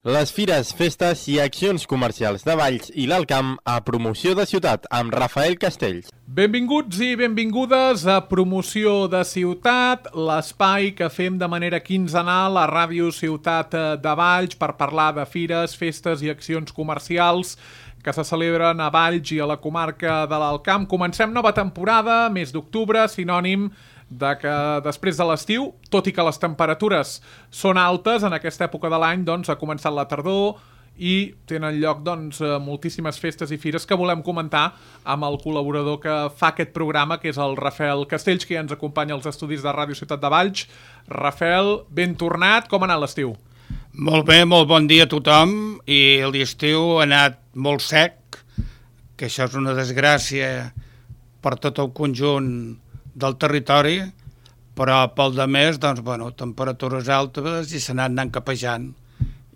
Les fires, festes i accions comercials de Valls i l'Alt Camp a Promoció de Ciutat amb Rafael Castells. Benvinguts i benvingudes a Promoció de Ciutat, l'espai que fem de manera quinzenal a Ràdio Ciutat de Valls per parlar de fires, festes i accions comercials que se celebren a Valls i a la comarca de l'Alt Camp. Comencem nova temporada, mes d'octubre, sinònim de que després de l'estiu, tot i que les temperatures són altes, en aquesta època de l'any ha començat la tardor i tenen lloc moltíssimes festes i fires que volem comentar amb el col·laborador que fa aquest programa, que és el Rafael Castells, que ja ens acompanya als estudis de Ràdio Ciutat de Valls. Rafael, ben tornat, com ha anat l'estiu? Molt bé, molt bon dia a tothom, i l'estiu ha anat molt sec, que això és una desgràcia per tot el conjunt del territori, però pel demés, temperatures altes i s'ha anat capejant,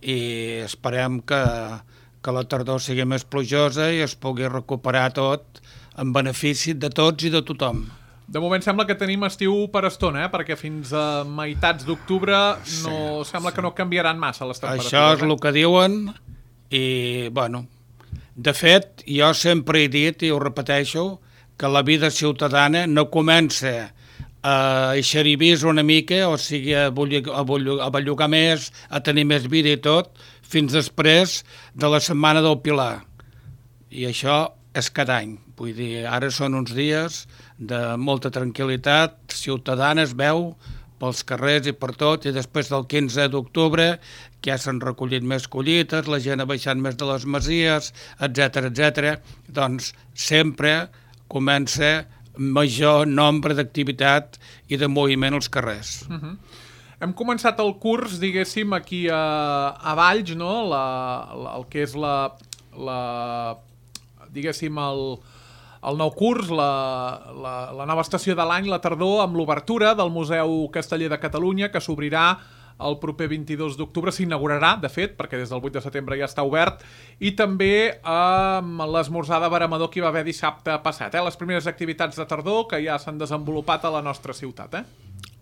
i esperem que la tardor sigui més plujosa i es pugui recuperar tot en benefici de tots i de tothom. De moment sembla que tenim estiu per estona, perquè fins a meitats d'octubre sembla que no canviaran massa les temperatures. Això és el que diuen, i de fet, jo sempre he dit, i ho repeteixo, que la vida ciutadana no comença a eixeribir una mica, o sigui, a bellugar més, a tenir més vida i tot, fins després de la setmana del Pilar. I això és cada any. Vull dir, ara són uns dies de molta tranquil·litat ciutadana, es veu pels carrers i per tot, i després del 15 d'octubre que ja s'han recollit més collites, la gent ha baixat més de les masies, etc. Doncs sempre comença major nombre d'activitat i de moviment als carrers. Hem començat el curs, diguéssim, aquí a Valls, no? El que és diguéssim, el nou curs, la nova estació de l'any, la tardor, amb l'obertura del Museu Casteller de Catalunya, que s'obrirà el proper 22 d'octubre, s'inaugurarà, de fet, perquè des del 8 de setembre ja està obert, i també amb l'esmorzar de veremador que hi va haver dissabte passat. Les primeres activitats de tardor que ja s'han desenvolupat a la nostra ciutat.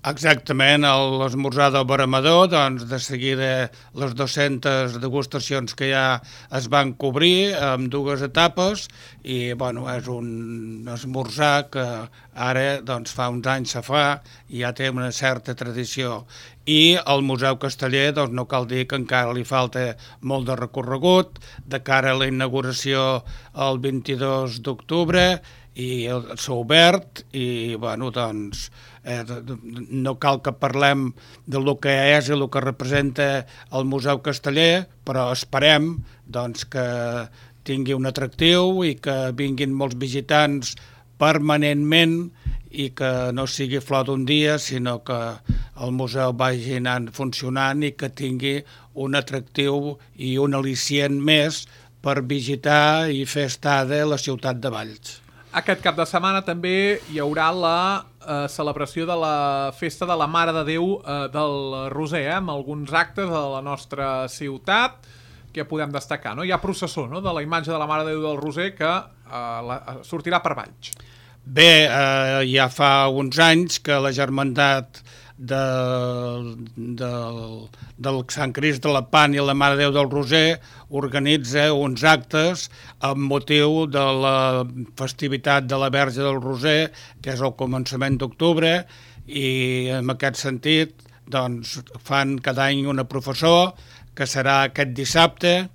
Exactament, l'esmorzar del veremador, de seguida les 200 degustacions que ja es van cobrir amb dues etapes, i és un esmorzar que ara fa uns anys se fa i ja té una certa tradició. I al Museu Casteller no cal dir que encara li falta molt de recorregut, de cara a la inauguració el 22 d'octubre, i s'ha obert, i no cal que parlem del que és i el que representa el Museu Casteller, però esperem que tingui un atractiu i que vinguin molts visitants permanentment, i que no sigui flor d'un dia, sinó que el museu vagi anant funcionant i que tingui un atractiu i un al·licient més per visitar i fer estada a la ciutat de Valls. Aquest cap de setmana també hi haurà la celebració de la Festa de la Mare de Déu del Roser, amb alguns actes de la nostra ciutat que podem destacar. Hi ha processó de la imatge de la Mare de Déu del Roser que sortirà per Valls. Bé, ja fa uns anys que la germandat del Sant Crist de la Pan i la Mare de Déu del Roser organitza uns actes amb motiu de la festivitat de la Verge del Roser, que és el començament d'octubre, i en aquest sentit fan cada any una professó que serà aquest dissabte,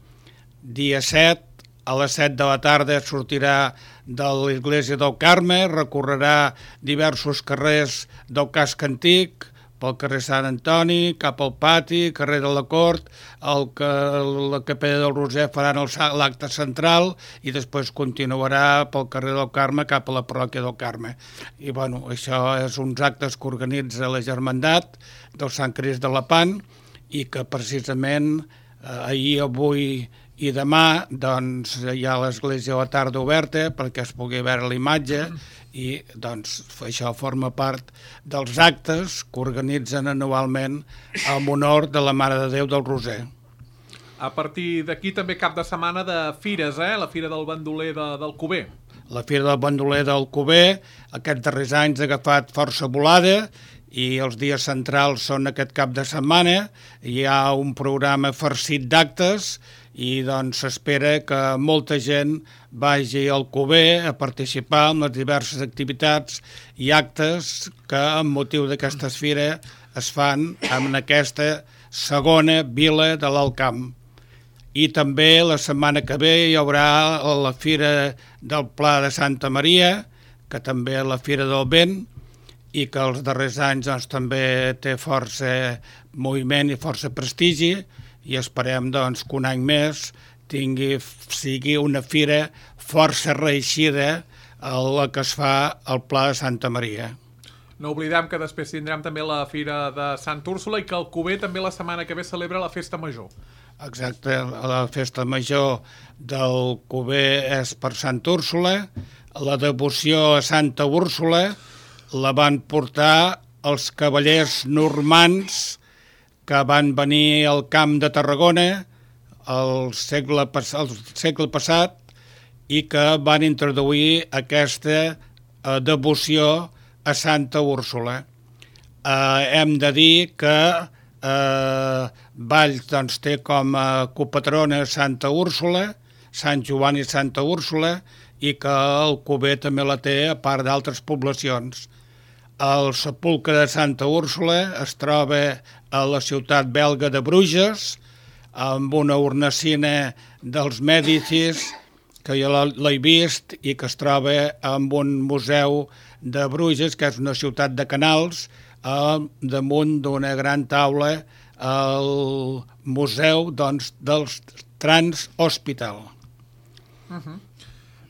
dia 7, a les 7 de la tarda sortirà de l'església del Carme, recorrerà diversos carrers del casc antic, pel carrer Sant Antoni, cap al pati, carrer de la Cort, la capella del Roser faran l'acte central i després continuarà pel carrer del Carme cap a la parròquia del Carme. I això és uns actes que organitza la germandat del Sant Crist de la Pan, i que precisament ahir, avui i demà hi ha l'església a la tarda oberta perquè es pugui veure la imatge, i això forma part dels actes que organitzen anualment en honor de la Mare de Déu del Roser. A partir d'aquí també cap de setmana de fires, la Fira del Bandoler d'Alcover. La Fira del Bandoler d'Alcover aquests darrers anys ha agafat força volada i els dies centrals són aquest cap de setmana. Hi ha un programa farcit d'actes i doncs s'espera que molta gent vagi al Alcover a participar en les diverses activitats i actes que amb motiu d'aquesta fira es fan en aquesta segona vila de l'Alt Camp. I també la setmana que ve hi haurà la Fira del Pla de Santa Maria, que també és la Fira del Vent, i que els darrers anys doncs, també té força moviment i força prestigi, i esperem doncs, que un any més sigui una fira força reeixida a la que es fa al Pla de Santa Maria. No oblidem que després tindrem també la Fira de Santa Úrsula i que Alcover també la setmana que ve celebra la Festa Major. Exacte, la Festa Major d'Alcover és per Santa Úrsula. La devoció a Santa Úrsula la van portar els cavallers normands que van venir al Camp de Tarragona al segle passat i que van introduir aquesta devoció a Santa Úrsula. Hem de dir que Valls doncs, té com a copatrona Santa Úrsula, Sant Joan i Santa Úrsula, i que Alcover també la té a part d'altres poblacions. El sepulcre de Santa Úrsula es troba a la ciutat belga de Bruges, amb una hornacina dels Mèdicis, que jo l'he vist i que es troba en un museu de Bruges, que és una ciutat de canals, damunt d'una gran taula al museu doncs, dels Trans Hospital.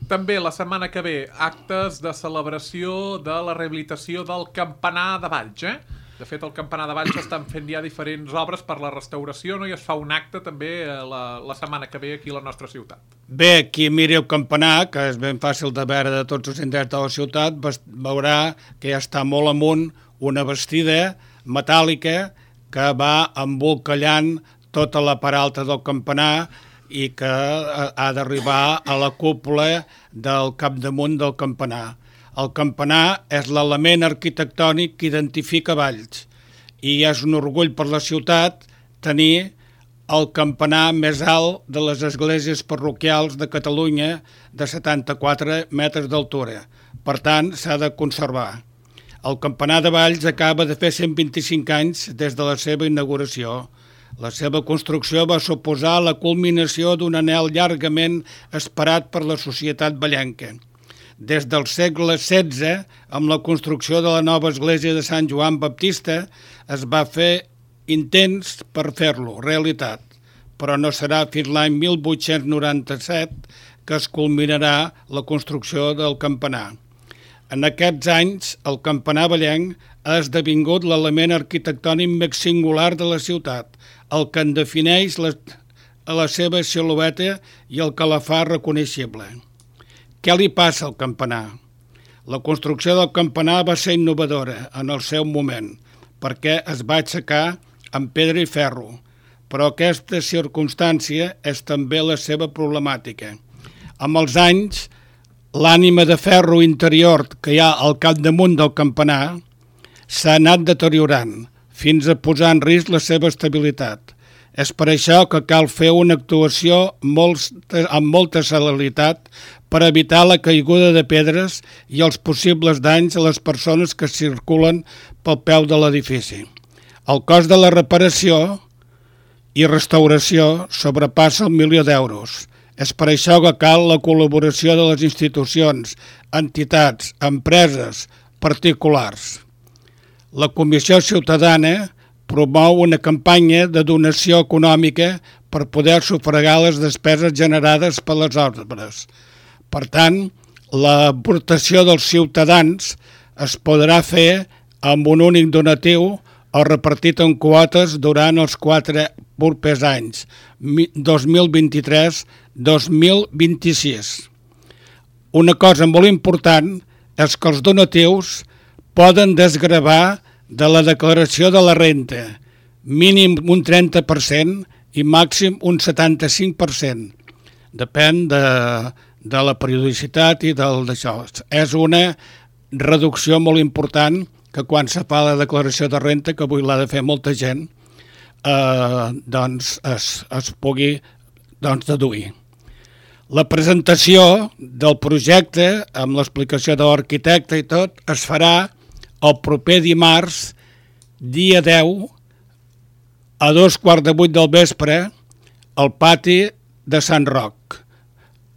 També la setmana que ve actes de celebració de la rehabilitació del campanar de Valls. De fet, el campanar de Valls estan fent ja diferents obres per la restauració, no? I es fa un acte també la setmana que ve aquí a la nostra ciutat. Bé, qui miri el campanar, que és ben fàcil de veure de tots els indrets de la ciutat, veurà que ja està molt amunt una bastida metàl·lica que va embolcallant tota la part alta del campanar i que ha d'arribar a la cúpula del capdamunt del campanar. El campanar és l'element arquitectònic que identifica Valls i és un orgull per la ciutat tenir el campanar més alt de les esglésies parroquials de Catalunya de 74 metres d'altura. Per tant, s'ha de conservar. El campanar de Valls acaba de fer 125 anys des de la seva inauguració. La seva construcció va suposar la culminació d'un anhel llargament esperat per la societat vallenca. Des del segle XVI, amb la construcció de la nova església de Sant Joan Baptista, es va fer intents per fer-lo realitat, però no serà fins l'any 1897 que es culminarà la construcció del campanar. En aquests anys, el campanar vallenc ha esdevingut l'element arquitectònic més singular de la ciutat, el que en defineix la seva silueta i el que la fa reconeixible. Què li passa al campanar? La construcció del campanar va ser innovadora en el seu moment, perquè es va aixecar amb pedra i ferro, però aquesta circumstància és també la seva problemàtica. Amb els anys, l'ànima de ferro interior que hi ha al capdamunt del campanar s'ha anat deteriorant, fins a posar en risc la seva estabilitat. És per això que cal fer una actuació amb molta celeritat per evitar la caiguda de pedres i els possibles danys a les persones que circulen pel peu de l'edifici. El cost de la reparació i restauració sobrepassa el milió d'euros. És per això que cal la col·laboració de les institucions, entitats, empreses, particulars. La Comissió Ciutadana promou una campanya de donació econòmica per poder sufragar les despeses generades per les obres. Per tant, l'aportació dels ciutadans es podrà fer amb un únic donatiu o repartit en quotes durant els 4 propers anys, 2023-2026. Una cosa molt important és que els donatius poden desgravar de la declaració de la renta, mínim un 30% i màxim un 75%. Depèn de la periodicitat i d'això. És una reducció molt important que quan se fa la declaració de renta, que avui l'ha de fer molta gent, doncs es pugui deduir. La presentació del projecte, amb l'explicació de l'arquitecte i tot, es farà el proper dimarts, dia 10, a 7:15 del vespre, al pati de Sant Roc,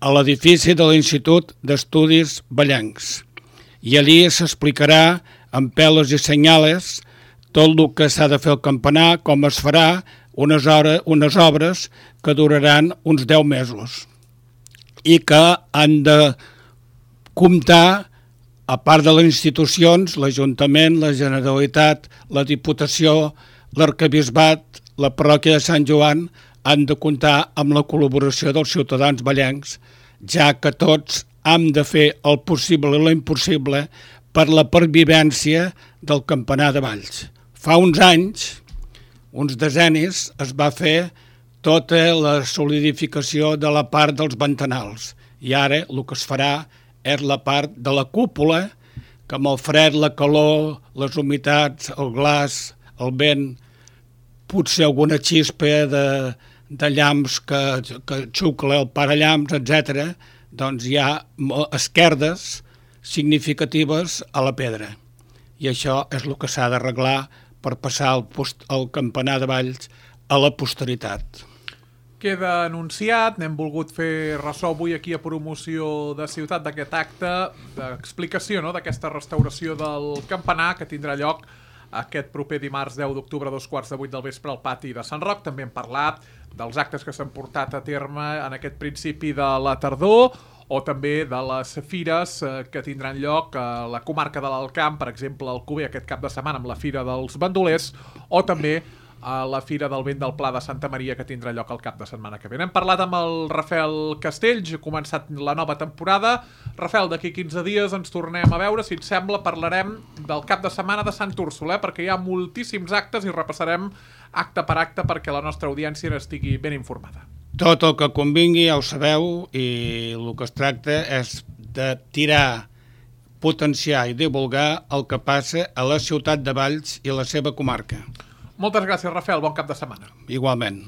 a l'edifici de l'Institut d'Estudis Vallencs. I allí s'explicarà amb pelos i senyales tot el que s'ha de fer al campanar, com es farà, unes obres que duraran uns 10 mesos i que han de comptar, a part de les institucions, l'Ajuntament, la Generalitat, la Diputació, l'Arquebisbat, la parròquia de Sant Joan, han de comptar amb la col·laboració dels ciutadans vallencs, ja que tots hem de fer el possible i l'impossible per la pervivència del campanar de Valls. Fa uns anys, uns decennis, es va fer tota la solidificació de la part dels ventanals i ara el que es farà és la part de la cúpula, que amb el fred, la calor, les humitats, el glaç, el vent, potser alguna xispa de llamps que xucla el parallamps, etc., doncs hi ha esquerdes significatives a la pedra. I això és el que s'ha d'arreglar per passar el campanar de Valls a la posteritat. Queda anunciat, n'hem volgut fer ressò avui aquí a Promoció de Ciutat d'aquest acte d'explicació d'aquesta restauració del campanar que tindrà lloc aquest proper dimarts 10 d'octubre a 7:15 del vespre al pati de Sant Roc. També hem parlat dels actes que s'han portat a terme en aquest principi de la tardor o també de les fires que tindran lloc a la comarca de l'Alt Camp, per exemple, al Cuber aquest cap de setmana amb la Fira dels Bandolers o també a la Fira del Vent del Pla de Santa Maria que tindrà lloc el cap de setmana que ve. Hem parlat amb el Rafael Castells, ha començat la nova temporada. Rafael, d'aquí 15 dies ens tornem a veure, si et sembla parlarem del cap de setmana de Sant Úrsula, perquè hi ha moltíssims actes i repassarem acte per acte perquè la nostra audiència n'estigui ben informada. Tot el que convingui ja ho sabeu i el que es tracta és de tirar, potenciar i divulgar el que passa a la ciutat de Valls i la seva comarca. Moltes gràcies, Rafael. Bon cap de setmana. Igualment.